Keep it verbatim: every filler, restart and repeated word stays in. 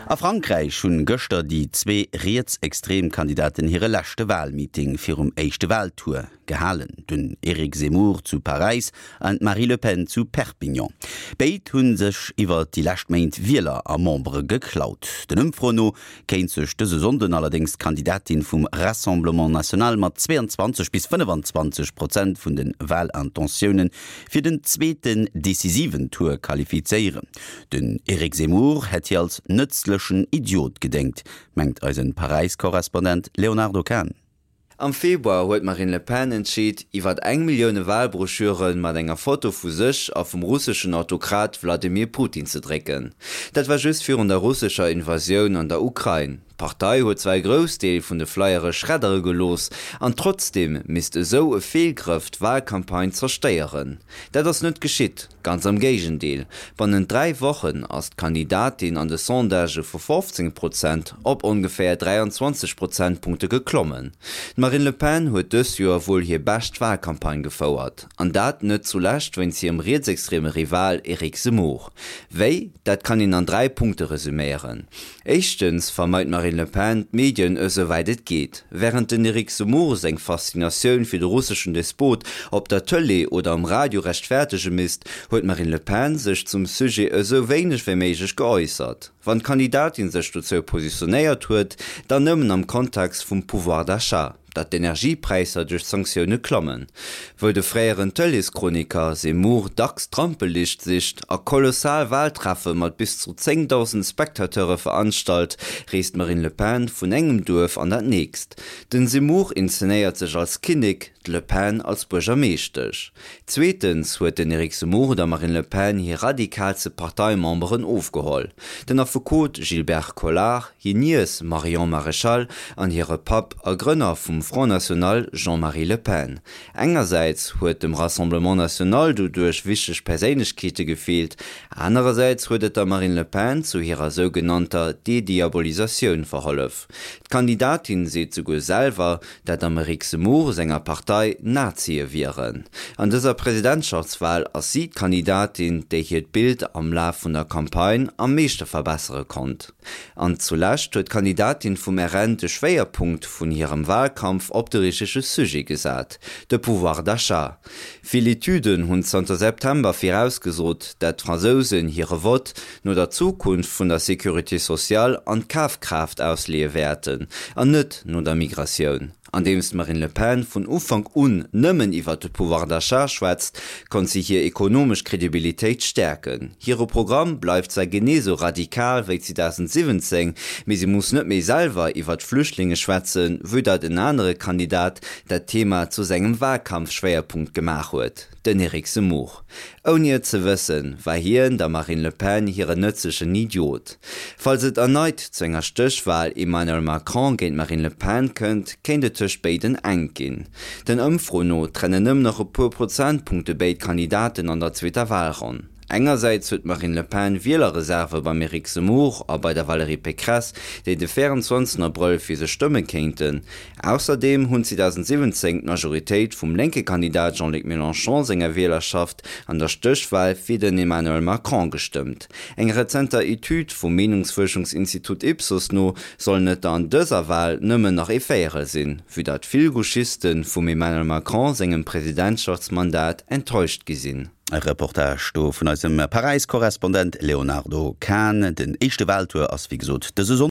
A Frankräich hunn gëschter déi zwee rietsextrem Kandidaten hire leschte Walmeeting virum éischte Waltour gehalen. Den Eric Zemmour zu Paräis an d'Marine Le Pen zu Perpignan. Béid hunn sech iwwer déi lescht Méint Wieler a Membere geklaut. Den Ëmfroen no kéint sech dëse Sonnden allerdéngs d'Kandidatin vum Rassemblement National mat zwee an zwanzeg bis fënnef an zwanzeg Prozent vun de Walintentioune fir den zweeten decisiven Tour qualifizéieren. Den Eric Zemmour hätt hir als nëtzlechen Idiot gedéngt, mengt eise Paräis-Korrespondent Léonardo Kahn. Am Februar huet d'Marine Le Pen entscheet, iwwer eng Millioun Walbroschüre mat enger Foto vu sech a vum russeschen Autokrat Wladimir Putin ze drécken. Dat war just virun der russescher Invasioun an der Ukrain. D'Partei huet zwar e Groussdeel vun de Flyere schreddere gelooss, an trotzdeem misst esou e Feelgrëff d'Walcampagne zerstéieren. Dat ass net geschitt, ganz am Géigendeel. Bannent dräi Wochen ass d'Kandidatin an de Sondagë vu fofzéng Prozent op ongeféier dräianzwanzeg Prozentpunkte geklommen. D'Marine Le Pen huet dëst Joer wuel hir bescht Walcampagne gefouert. An dat net zulescht wéinst hirem rietsextreme Rival Eric Zemmour. Wéi? Dat kann een an dräi Punkte resuméieren. Éischtens vermeit d'Marine Le Pen d'Medien esouwäit et geet. Wärend den Eric Zemmour seng Faszinatioun fir de russeschen Despot op der Tëlee oder am Radio rechtfäerdege misst, huet d'Marine Le Pen sech zum Sujet esou wéineg wéi méiglech geäussert. Wann d'Kandidatin sech dozou positionéiert huet, dann nëmmen am Kontext vum Pouvoir d'achat, datt d'Energiepräisser duerch d'Sanktioune klammen. Wou de fréieren Tëleeschroniker Zemmour dacks d'Rampeliicht sicht a kolossal Waltreffe mat bis zu zéngdausend Spectateure veranstalt, reest d'Marine Le Pen vun engem Duerf an dat nächst. Den Zemmour inszenéiert sech als Kinnek, d'Le Pen als Buergermeeschtesch. Zweetens huet den Eric Zemmour der Marine Le Pen hir radikaalste Parteimemberen ofgeholl. Den Affekot Gilbert Collard, hir Niess Marion Maréchal an hire Papp a Grënner vum Front National Jean-Marie Le Pen. Engersäits huet dem Rassemblement National doduerch wichteg Perséinlechkeete gefeelt, anerersäits huet et der Marine Le Pen zu hirer sougenannter Dediabolisatioun verhollef. D'Kandidatin seet souguer selwer, dat am Eric Zemmour senger Partei Nazie wieren. An dëser Presidentschaftswal ass si d'Kandidatin, déi hiert Bild am Laf vun der Campagne am meeschte verbessere konnt. An zulescht huet d'Kandidatin vum R N de Schwéierpunkt vun hirem Walkampf op de richtege Sujet gesat, de Pouvoir d'achat. Vill Etüden hunn zanter September virausgesot, dat d'Fransousen hire Vott no der Zukunft vun der Sécurité sociale an Kafkraaft ausleeë wäerten, an net no der Migratioun. Andeems d'Marine Le Pen vun Ufank un nëmmen iwwer de Pouvoir d'achat schwätzt, konnt si hir ekonomesch Kredibilitéit stäerken. Hire Programm bleift zwar genee esou radikal wéi zweedausendsiwwenzéng, mee si muss net méi selwer iwwer d'Flüchtlinge schwätzen, vue dat en anere Kandidat dat Thema zu sengem Walkampfschwéierpunkt gemaach huet, den Eric Zemmour. Ouni et ze wëssen, war hien der Marine Le Pen hiren nëtzlechen Idiot. Falls et erneit zu enger Stéchwal Emmanuel Macron géint Marine Le Pen kënnt, kéint et tëscht béiden enk ginn. Den Ëmfroen no trennen nëmmen nach e puer Prozentpunkte béid Kandidaten an der zweeter Walronn. Engersäits huet d'Marine Le Pen Wielerreserve beim Eric Zemmour a bei der Valérie Pécresse, déi de véierenzwanzegsten Abrëll fir se stëmme kéinten. Ausserdeem hunn zweedausendsiwwenzéng d'Majoritéit vum lénke Kandidat Jean-Luc Mélenchon senger Wielerschaft an der Stéchwal fir den Emmanuel Macron gestëmmt. Enger rezenter Etüd vum Meenungsfuerschungsinstitut Ipsos no sollen et der an dëser Wal nëmmen nach ee Véierel sinn, vue dat vill Gauchiste vum Emmanuel Macron sengem Presidentschaftsmandat enttäuscht gi sinn. E Reportage do vun eisem Paräis-Korrespondent Léonardo Kahn. Den éischte Waltour ass wéi gesot dëse Sonnden.